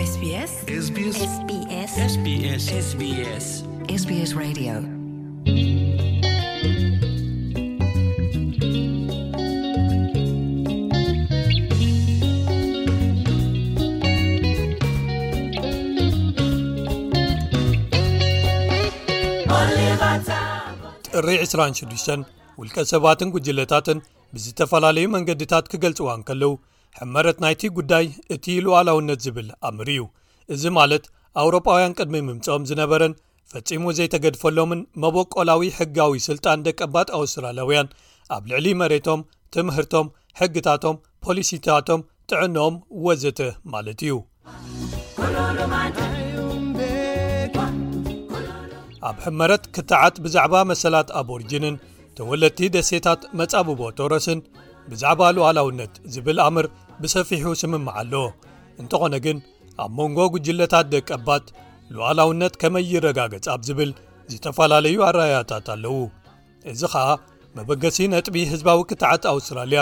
SBS SBS SBS SBS SBS Radio. ጥሪ ዕስራን ሽዱሽተን ውልቀ ሰባትን ጉጅለታትን ብዝተፈላለዩ መንገድታት ክገልጽዋ እንከለዉ፣ ሕመረት ናይቲ ጉዳይ እቲ ሉዓላውነት ዝብል ኣምር እዩ። እዚ ማለት ኣውሮጳውያን ቅድሚ ምምጽኦም ዝነበረን ፈጺሙ ዘይተገድፈሎምን መበቆላዊ ሕጋዊ ስልጣን ደቀባት ኣውስትራልያውያን ኣብ ልዕሊ መሬቶም፣ ትምህርቶም፣ ሕግታቶም፣ ፖሊሲታቶም፣ ጥዕንኦም ወዘተ ማለት እዩ። ኣብ ሕመረት ክትዓት ብዛዕባ መሰላት ኣቦሪጅንን ተወለድቲ ደሴታት መጻብቦ ቶረስን ብዛዕባ ሉዓላውነት ዝብል ኣምር ብሰፊሑ ስምምዕ ኣሎ። እንተኾነ ግን ኣብ መንጎ ጉጅለታት ደቀባት ሉዓላውነት ከመይ ይረጋገጽ ኣብ ዝብል ዝተፈላለዩ ኣረኣእያታት ኣለዉ። እዚ ኸኣ መበገሲ ነጥቢ ህዝባዊ ክትዓት ኣውስትራልያ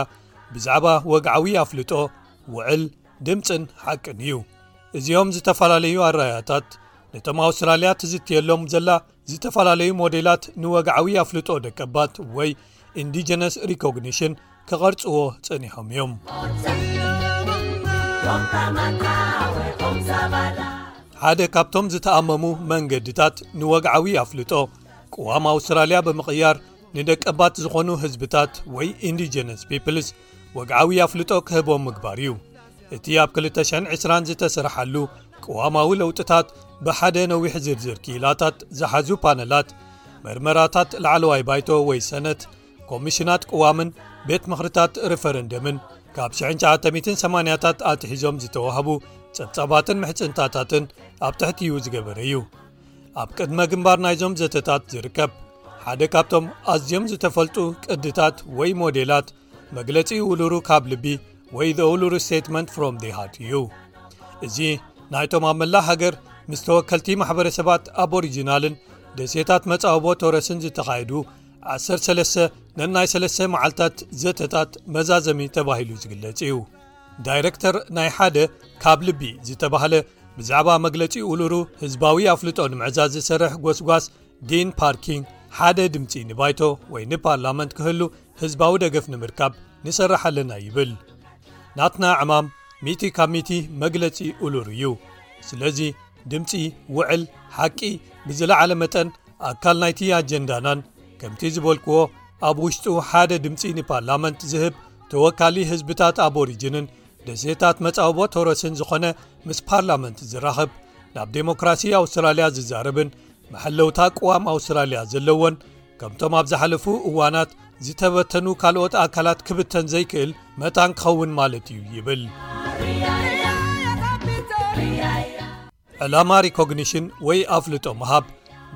ብዛዕባ ወግዓዊ ኣፍልጦ፣ ውዕል፣ ድምጽን ሓቅን እዩ። እዚኦም ዝተፈላለዩ ኣረኣእያታት ነቶም ኣውስትራልያ ትዝትየሎም ዘላ ዝተፈላለዩ ሞዴላት ንወግዓዊ ኣፍልጦ ደቀባት ወይ ኢንዲጀነስ ሪኮግኒሽን ክቐርጽዎ ጸኒሖም እዮም። ሓደ ካብቶም ዝተኣመሙ መንገድታት ንወግዓዊ ኣፍልጦ ቅዋም ኣውስትራልያ ብምቕያር ንደቀባት ዝኾኑ ህዝብታት ወይ ኢንዲጀነስ ፒፕልስ ወግዓዊ ኣፍልጦ ክህቦም ምግባር እዩ። እቲ ኣብ ክልተ ሽሕን ዕስራን ዝተሰርሓሉ ቅዋማዊ ለውጥታት ብሓደ ነዊሕ ዝርዝር ክኢላታት ዝሓዙ ፓነላት፣ መርመራታት ላዕለዋይ ባይቶ ወይ ሰነት፣ ኮሚሽናት ቅዋምን ቤት ምኽርታት ሪፈረንደምን ካብ ሽሕን ትሽዓተ ሚእትን ሰማንያታት ኣትሒዞም ዝተዋህቡ ጸብጻባትን ምሕጽንታታትን ኣብ ትሕቲኡ ዝገበረ እዩ። ኣብ ቅድመ ግንባር ናይዞም ዘተታት ዝርከብ ሓደ ካብቶም ኣዝዮም ዝተፈልጡ ቅድታት ወይ ሞዴላት መግለጺ ኡሉሩ ካብ ልቢ ወይ The Uluru Statement from the Heart እዩ። እዚ ናይቶም ኣብ መላእ ሃገር ምስ ተወከልቲ ማሕበረሰባት ኣቦሪጂናልን ደሴታት መጻወቦ ቶረስን ዝተኻየዱ ዓሰርተ ሰለስተ ነናይ ሰለስተ መዓልታት ዘተታት መዛዘሚ ተባሂሉ ዝግለጽ እዩ። ዳይረክተር ናይ ሓደ ካብ ልቢ ዝተባህለ ብዛዕባ መግለጺ ኡሉሩ ህዝባዊ ኣፍልጦ ንምዕዛዝ ዝሰርሕ ጎስጓስ ዲን ፓርኪንግ፣ ሓደ ድምጺ ንባይቶ ወይ ንፓርላመንት ክህሉ ህዝባዊ ደገፍ ንምርካብ ንሰርሕ ኣለና ይብል። ናትና ዕማም ሚእቲ ካብ ሚእቲ መግለጺ ኡሉሩ እዩ። ስለዚ ድምጺ፣ ውዕል፣ ሓቂ ብዝለዓለ መጠን ኣካል ናይቲ ኣጀንዳናን፣ ከምቲ ዝበልክዎ ኣብ ውሽጡ ሓደ ድምጺ ንፓርላመንት ዝህብ ተወካሊ ህዝብታት ኣቦሪጅንን ደሴታት መጻወቦ ቶረስን ዝኾነ ምስ ፓርላመንት ዝራኸብ፣ ናብ ዴሞክራሲ ኣውስትራልያ ዝዛረብን መሐለውታ ቅዋም ኣውስትራልያ ዘለዎን፣ ከምቶም ኣብ ዝሓለፉ እዋናት ዝተበተኑ ካልኦት ኣካላት ክብተን ዘይክእል መታን ክኸውን ማለት እዩ ይብል። ዕላማ ሪኮግኒሽን ወይ ኣፍልጦ ምሃብ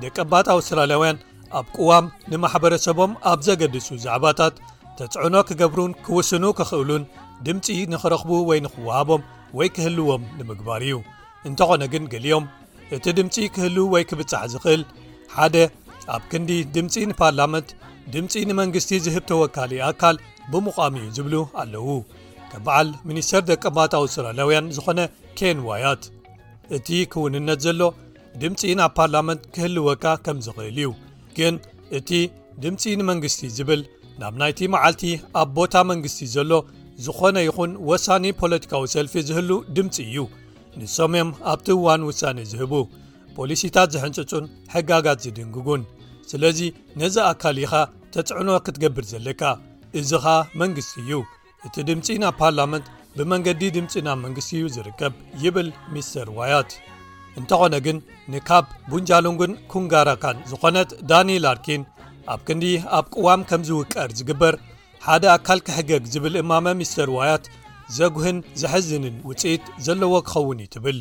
ደቀባት ኣውስትራልያውያን ኣብ ቅዋም ንማሕበረሰቦም ኣብ ዘገድሱ ዛዕባታት ተጽዕኖ ክገብሩን ክውስኑ ክኽእሉን ድምጺ ንኽረኽቡ ወይ ንኽወሃቦም ወይ ክህልዎም ንምግባር እዩ። እንተኾነ ግን ገሊኦም እቲ ድምጺ ክህሉ ወይ ክብጻሕ ዝኽእል ሓደ ኣብ ክንዲ ድምጺ ንፓርላመንት ድምጺ ንመንግስቲ ዝህብ ተወካሊ ኣካል ብምዃም እዩ ዝብሉ ኣለዉ። ከም በዓል ሚኒስተር ደቀባት ኣውስትራልያውያን ዝኾነ ኬን ዋያት፣ እቲ ክውንነት ዘሎ ድምጺ ናብ ፓርላመንት ክህልወካ ከም ዝኽእል እዩ። ግን እቲ ድምጺ ንመንግስቲ ዝብል ናብ ናይቲ መዓልቲ ኣብ ቦታ መንግስቲ ዘሎ ዝኾነ ይኹን ወሳኒ ፖለቲካዊ ሰልፊ ዝህሉ ድምጺ እዩ። ንሶም እዮም ኣብቲ እዋን ውሳኔ ዝህቡ፣ ፖሊሲታት ዝሕንጽጹን ሕጋጋት ዝድንግጉን። ስለዚ ነዚ ኣካል ኢኻ ተጽዕኖ ክትገብር ዘለካ። እዚ ኸኣ መንግስቲ እዩ። እቲ ድምጺ ናብ ፓርላመንት ብመንገዲ ድምጺ ናብ መንግስቲ እዩ ዝርከብ ይብል ሚስተር ዋያት። እንተኾነ ግን ንካብ ቡንጃሉንግን ኩንጋራካን ዝኾነት ዳኒ ላርኪን ኣብ ክንዲ ኣብ ቅዋም ከም ዝውቀር ዝግበር ሓደ ኣካል ክሕገግ ዝብል እማመ ሚስተር ዋያት ዘጉህን ዘሕዝንን ውጽኢት ዘለዎ ክኸውን እዩ ትብል።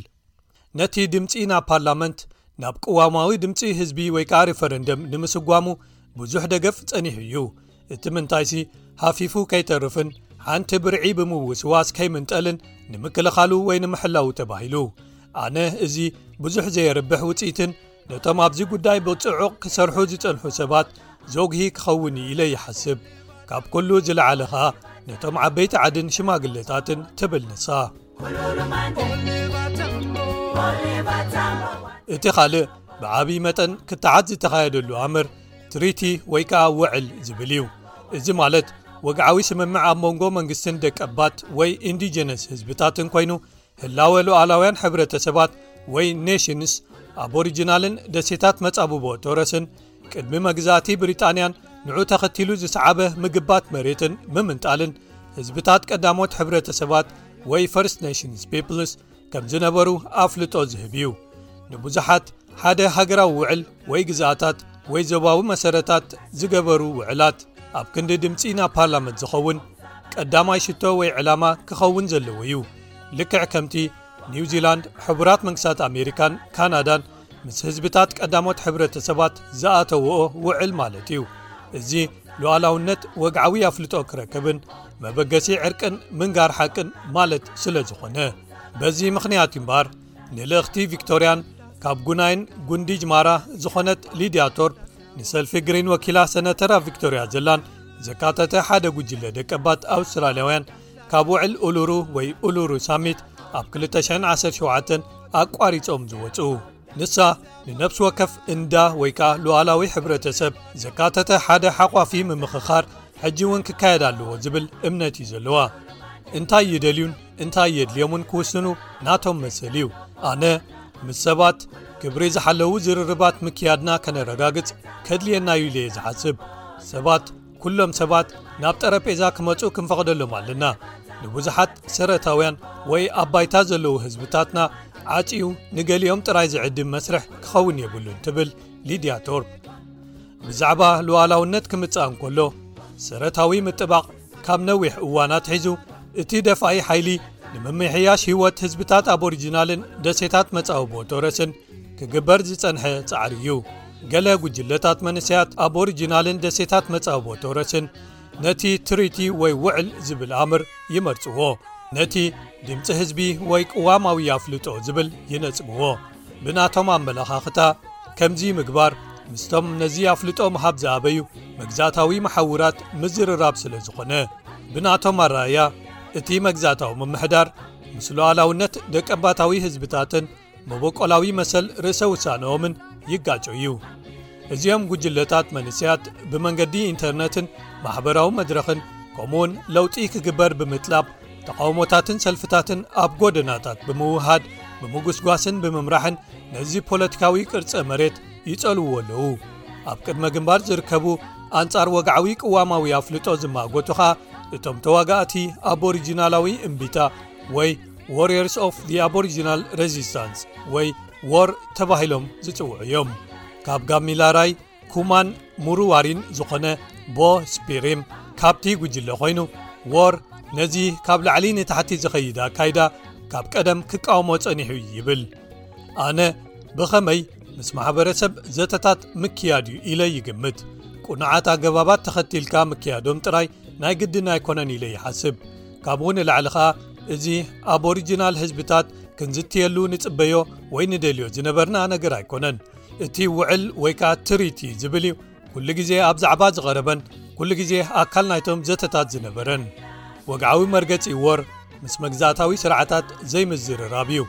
ነቲ ድምጺ ናብ ፓርላመንት ናብ ቅዋማዊ ድምጺ ህዝቢ ወይ ከዓ ሪፈረንደም ንምስጓሙ ብዙሕ ደገፍ ጸኒሑ እዩ። እቲ ምንታይሲ ሃፊፉ ከይተርፍን ሓንቲ ብርዒ ብምውስዋስ ከይምንጠልን ንምክልኻሉ ወይ ንምሕላው ተባሂሉ። ኣነ እዚ ብዙሕ ዘየርብሕ ውጽኢትን ነቶም ኣብዚ ጉዳይ ብጽዑቕ ክሰርሑ ዝጸንሑ ሰባት ዘጉሂ ክኸውን እዩ ኢለ ይሓስብ። ካብ ኩሉ ዝለዓለ ኸኣ ነቶም ዓበይቲ ዓድን ሽማግለታትን ትብል ንሳ። እቲ ካልእ ብዓብዪ መጠን ክትዓት ዝተኻየደሉ ኣምር ትሪቲ ወይ ከዓ ውዕል ዝብል እዩ። እዚ ማለት ወግዓዊ ስምምዕ ኣብ መንጎ መንግስትን ደቀባት ወይ ኢንዲጀነስ ህዝብታትን ኮይኑ፣ ህላወ ሉዓላውያን ሕብረተሰባት ወይ ኔሽንስ፣ ኣቦሪጂናልን ደሴታት መጻብቦ ቶረስን ቅድሚ መግዛእቲ ብሪጣንያን ንዑ ተኸቲሉ ዝሰዓበ ምግባት መሬትን ምምንጣልን ህዝብታት ቀዳሞት ሕብረተሰባት ወይ ፈርስት ኔሽንስ ፒፕልስ ከም ዝነበሩ ኣፍልጦ ዝህብ እዩ። ንብዙሓት ሓደ ሃገራዊ ውዕል ወይ ግዝኣታት ወይ ዞባዊ መሰረታት ዝገበሩ ውዕላት ኣብ ክንዲ ድምፂ ናብ ፓርላመንት ዝኸውን ቀዳማይ ሽቶ ወይ ዕላማ ክኸውን ዘለዎ እዩ። ልክዕ ከምቲ ኒውዚላንድ፣ ሕቡራት መንግስታት ኣሜሪካን ካናዳን ምስ ህዝብታት ቀዳሞት ሕብረተሰባት ዝኣተውኦ ውዕል ማለት እዩ። እዚ ሉዓላውነት ወግዓዊ ኣፍልጦ ክረክብን መበገሲ ዕርቅን ምንጋር ሓቅን ማለት ስለ ዝኾነ፣ በዚ ምኽንያት እምበኣር ንልእኽቲ ቪክቶርያን ካብ ጉናይን ጉንዲጅ ማራ ዝኾነት ሊድያ ቶርፕ ንሰልፊ ግሪን ወኪላ ሰነተር ኣብ ቪክቶርያ ዘላን ዘካተተ ሓደ ጉጅለ ደቀባት ኣውስትራልያውያን ካብ ውዕል ኡሉሩ ወይ ኡሉሩ ሳሚት ኣብ ክልተ ሽሕን ዓሰርተ ሸውዓተን ኣቋሪጾም ዝወጹ። ንሳ ንነፍሲ ወከፍ እንዳ ወይ ከኣ ሉዓላዊ ሕብረተሰብ ዘካተተ ሓደ ሓቋፊ ምምኽኻር ሕጂ እውን ክካየድ ኣለዎ ዝብል እምነት እዩ ዘለዋ። እንታይ ይደልዩን እንታይ የድልዮምን ክውስኑ ናቶም መሰል እዩ። ኣነ ምስ ሰባት ክብሪ ዝሓለዉ ዝርርባት ምክያድና ከነረጋግጽ ከድልየና እዩ ኢለ እየ ዝሓስብ። ሰባት፣ ኩሎም ሰባት ናብ ጠረጴዛ ክመጹ ክንፈቕደሎም ኣለና። ንብዙሓት ሰረታውያን ወይ ኣብ ባይታ ዘለዉ ህዝብታትና ዓጽዩ ንገሊኦም ጥራይ ዝዕድም መስርሕ ክኸውን የብሉን ትብል ሊድያ ቶርፕ። ብዛዕባ ሉዓላውነት ክምጻእ እንከሎ፣ ሰረታዊ ምጥባቕ ካብ ነዊሕ እዋን ኣትሒዙ እቲ ደፋኢ ሓይሊ ንምምሕያሽ ህይወት ህዝብታት ኣቦሪጂናልን ደሴታት መጻብቦ ቶረስን ክግበር ዝጸንሐ ጻዕሪ እዩ። ገለ ጉጅለታት መንእሰያት ኣቦሪጂናልን ደሴታት መጻብቦ ቶረስን ነቲ ትሪቲ ወይ ውዕል ዝብል ኣምር ይመርጽዎ። ነቲ ድምጺ ህዝቢ ወይ ቅዋማዊ ኣፍልጦ ዝብል ይነጽግዎ። ብናቶም ኣመለኻኽታ፣ ከምዚ ምግባር ምስቶም ነዚ ኣፍልጦ ምሃብ ዝኣበዩ መግዛእታዊ መሓውራት ምዝርራብ ስለ ዝኾነ፣ ብናቶም ኣረኣእያ፣ እቲ መግዛእታዊ ምምሕዳር ምስ ሉዓላውነት ደቀባታዊ ህዝብታትን መበቆላዊ መሰል ርእሰ ውሳነኦምን ይጋጮ እዩ። እዚኦም ጉጅለታት መንእሰያት ብመንገዲ ኢንተርነትን ማሕበራዊ መድረኽን፣ ከምኡውን ለውጢ ክግበር ብምጥላብ፣ ተቓውሞታትን ሰልፍታትን ኣብ ጎደናታት ብምውሃድ፣ ብምጉስጓስን ብምምራሕን ነዚ ፖለቲካዊ ቅርጸ መሬት ይጸልውዎ ኣለዉ። ኣብ ቅድመ ግንባር ዝርከቡ ኣንጻር ወግዓዊ ቅዋማዊ ኣፍልጦ ዝማጎቱ ኸኣ እቶም ተዋጋእቲ ኣቦሪጂናላዊ እምቢታ ወይ Warriors of the Aboriginal Resistance ወይ ዎር ተባሂሎም ዝጽውዑ እዮም። ካብ ጋሚላራይ ኩማን ሙሩዋሪን ዝኾነ ቦ ስፒሪም ካብቲ ጉጅለ ኮይኑ፣ ዎር ነዚ ካብ ላዕሊ ንታሕቲ ዝኸይድ ኣካይዳ ካብ ቀደም ክቃወሞ ጸኒሑ እዩ ይብል። ኣነ ብኸመይ ምስ ማሕበረሰብ ዘተታት ምክያድ እዩ ኢለ ይግምት። ቁኑዓት ኣገባባት ተኸቲልካ ምክያዶም ጥራይ ናይ ግድን ኣይኮነን ኢለ ይሓስብ። ካብኡ ንላዕሊ ኸኣ፣ እዚ ኣቦሪጂናል ህዝብታት ክንዝትየሉ ንጽበዮ ወይ ንደልዮ ዝነበርና ነገር ኣይኮነን። እቲ ውዕል ወይ ከኣ ትሪቲ ዝብል እዩ ኩሉ ግዜ ኣብ ዛዕባ ዝቐረበን ኩሉ ግዜ ኣካል ናይቶም ዘተታት ዝነበረን። ወግዓዊ መርገጺ ዎር ምስ መግዛእታዊ ስርዓታት ዘይምዝርራብ እዩ።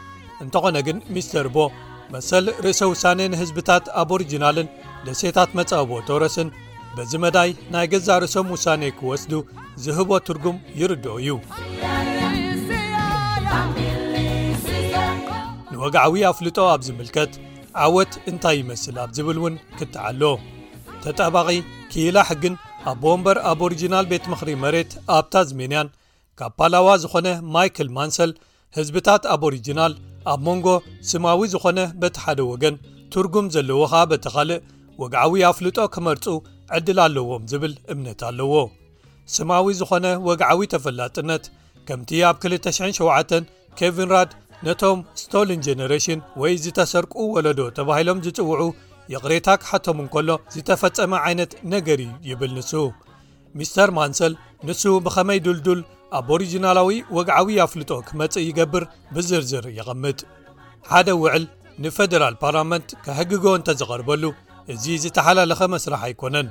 እንተኾነ ግን፣ ሚስተር ቦ፣ መሰል ርእሰ ውሳኔ ንህዝብታት ኣቦሪጂናልን ደሴታት መጻብቦ ቶረስን በዚ መዳይ ናይ ገዛእ ርእሶም ውሳኔ ክወስዱ ዝህቦ ትርጉም ይርድኦ እዩ። ንወግዓዊ ኣፍልጦ ኣብ ዝምልከት፣ ዓወት እንታይ ይመስል ኣብ ዝብል እውን ክትዓሎ። ተጣባቒ ክኢላ ሕግን ኣቦ ወንበር ኣቦሪጂናል ቤት ምኽሪ መሬት ኣብ ታዝሜንያን ካብ ፓላዋ ዝኾነ ማይክል ማንሰል፣ ህዝብታት ኣቦሪጂናል ኣብ መንጎ ስማዊ ዝኾነ በቲ ሓደ ወገን፣ ትርጉም ዘለዎ ኸኣ በቲ ካልእ፣ ወግዓዊ ኣፍልጦ ክመርጹ ዕድል ኣለዎም ዝብል እምነት ኣለዎ። ስማዊ ዝኾነ ወግዓዊ ተፈላጥነት፣ ከምቲ ኣብ ክልተ ሽሕን ሸውዓተን ኬቪን ራድ ነቶም ስቶልን ጀነሬሽን ወይ ዝተሰርቁ ወለዶ ተባሂሎም ዝጽውዑ ይቕሬታ ክሓቶም እንከሎ ዝተፈጸመ ዓይነት ነገር እዩ ይብል ንሱ። ሚስተር ማንሰል፣ ንሱ ብኸመይ ድልዱል ኣቦሪጂናላዊ ወግዓዊ ኣፍልጦ ክመጽእ ይገብር ብዝርዝር የቐምጥ። ሓደ ውዕል ንፈደራል ፓርላመንት ከሕግጎ እንተዝቐርበሉ፣ እዚ ዝተሓላለኸ መስርሕ ኣይኮነን።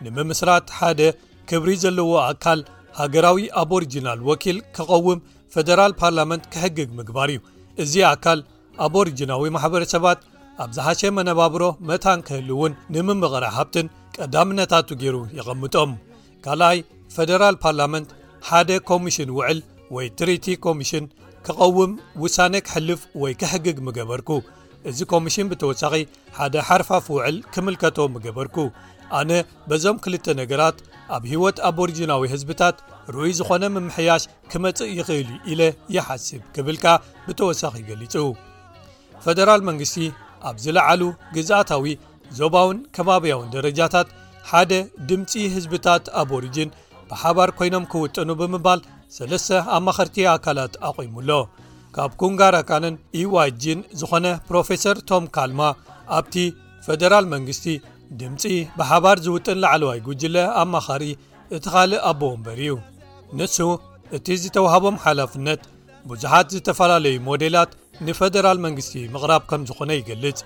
ንምምስራት ሓደ ክብሪ ዘለዎ ኣካል ሃገራዊ ኣቦሪጂናል ወኪል ክቐውም ፈደራል ፓርላመንት ክሕግግ ምግባር እዩ። እዚ ኣካል ኣቦሪጅናዊ ማሕበረሰባት ኣብ ዝሓሸ መነባብሮ መታን ክህልውን ንምምቕራ ሃብትን ቀዳምነታቱ ገይሩ የቐምጦም። ካልኣይ፣ ፈደራል ፓርላመንት ሓደ ኮሚሽን ውዕል ወይ ትሪቲ ኮሚሽን ክቐውም ውሳነ ክሕልፍ ወይ ክሕግግ ምገበርኩ። እዚ ኮሚሽን ብተወሳኺ ሓደ ሓርፋፍ ውዕል ክምልከቶ ምገበርኩ። ኣነ በዞም ክልተ ነገራት ኣብ ህይወት ኣቦሪጅናዊ ህዝብታት ርኡይ ዝኾነ ምምሕያሽ ክመጽእ ይኽእል እዩ ኢለ ይሓስብ ክብልካ ብተወሳኺ ገሊጹ። ፈደራል መንግስቲ ኣብ ዝለዓሉ ግዝኣታዊ፣ ዞባውን ከባብያውን ደረጃታት ሓደ ድምፂ ህዝብታት ኣቦሪጅን ብሓባር ኮይኖም ክውጥኑ ብምባል ሰለስተ ኣማኸርቲ ኣካላት ኣቑሙ ኣሎ። ካብ ኩንጋራካንን ኢዋጅን ዝኾነ ፕሮፌሰር ቶም ካልማ ኣብቲ ፈደራል መንግስቲ ድምፂ ብሓባር ዝውጥን ላዕለዋይ ጉጅለ ኣማኻሪ እቲ ካልእ ኣቦ ወንበር እዩ። ንሱ እቲ ዝተዋህቦም ሓላፍነት ብዙሓት ዝተፈላለዩ ሞዴላት ንፈደራል መንግስቲ ምቕራብ ከም ዝኾነ ይገልጽ።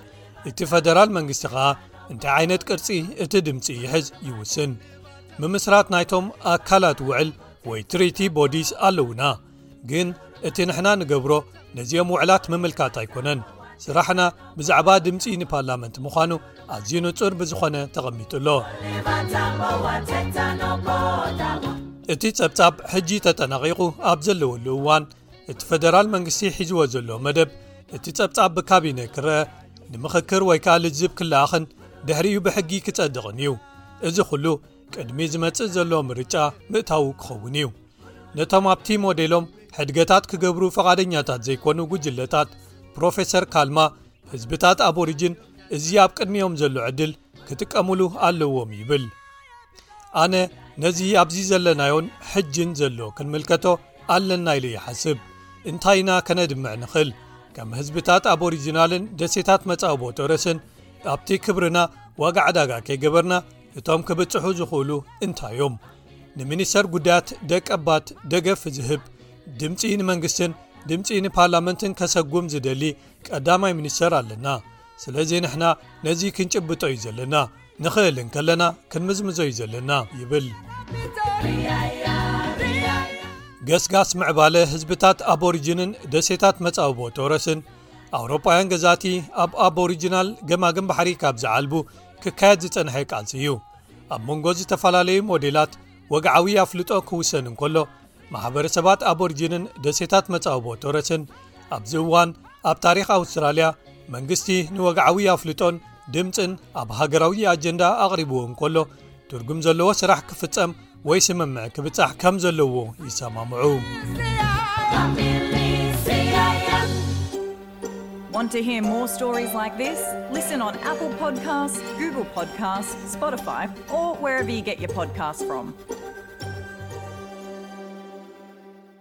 እቲ ፈደራል መንግስቲ ኸኣ እንታይ ዓይነት ቅርጺ እቲ ድምጺ ይሕዝ ይውስን። ምምስራት ናይቶም ኣካላት ውዕል ወይ ትሪቲ ቦዲስ ኣለውና፣ ግን እቲ ንሕና ንገብሮ ነዚኦም ውዕላት ምምልካት ኣይኮነን። ስራሕና ብዛዕባ ድምጺ ንፓርላመንት ምዃኑ ኣዝዩ ንጹር ብዝኾነ ተቐሚጡ ኣሎ። እቲ ጸብጻብ ሕጂ ተጠናቒቑ ኣብ ዘለወሉ እዋን፣ እቲ ፈደራል መንግስቲ ሒዝዎ ዘሎ መደብ፣ እቲ ጸብጻብ ብካቢነ ክረአ፣ ንምኽክር ወይ ከኣ ልዝብ ክለኣኽን ድሕሪኡ ብሕጊ ክጸድቕን እዩ። እዚ ኹሉ ቅድሚ ዝመጽእ ዘሎ ምርጫ ምእታዉ ክኸውን እዩ። ነቶም ኣብቲ ሞዴሎም ሕድገታት ክገብሩ ፈቓደኛታት ዘይኮኑ ጉጅለታት፣ ፕሮፌሰር ካልማ፣ ህዝብታት ኣቦሪጅን እዚ ኣብ ቅድሚኦም ዘሎ ዕድል ክጥቀሙሉ ኣለዎም ይብል። ኣነ ነዚ ኣብዚ ዘለናዮን ሕጅን ዘሎ ክንምልከቶ ኣለና ኢለ ይሓስብ። እንታይ ኢና ከነድምዕ ንኽእል? ከም ህዝብታት ኣቦሪጂናልን ደሴታት መጻብቦ ቶረስን ኣብቲ ክብርና ዋጋ ዕዳጋ ከይገበርና እቶም ክብጽሑ ዝኽእሉ እንታይ እዮም? ንሚኒስተር ጉዳያት ደቀባት ደገፍ ዝህብ፣ ድምጺ ንመንግስትን ድምጺ ንፓርላመንትን ከሰጉም ዝደሊ ቀዳማይ ሚኒስተር ኣለና። ስለዚ ንሕና ነዚ ክንጭብጦ እዩ ዘለና። ንኽእል እንከለና ክንምዝምዞ እዩ ዘለና ይብል። ገስጋስ ምዕባለ ህዝብታት ኣቦሪጅንን ደሴታት መጻብቦ ቶረስን ኣውሮጳውያን ገዛእቲ ኣብ ኣቦሪጂናል ገማግም ባሕሪ ካብ ዝዓልቡ ክካየድ ዝጸንሐ ቃልሲ እዩ። ኣብ መንጎ ዝተፈላለዩ ሞዴላት ወግዓዊ ኣፍልጦ ክውሰን እንከሎ፣ ማሕበረሰባት ኣቦሪጂንን ደሴታት መጻብቦ ቶረስን ኣብዚ እዋን ኣብ ታሪኽ ኣውስትራልያ መንግስቲ ንወግዓዊ ኣፍልጦን ድምጽን ኣብ ሃገራዊ ኣጀንዳ ኣቕሪብዎ እንከሎ፣ ትርጉም ዘለዎ ስራሕ ክፍጸም ወይ ስምምዕ ክብጻሕ ከም ዘለዎ ይሰማምዑ። Want to hear more stories like this? Listen on Apple Podcasts, Google Podcasts, Spotify, or wherever you get your podcasts from.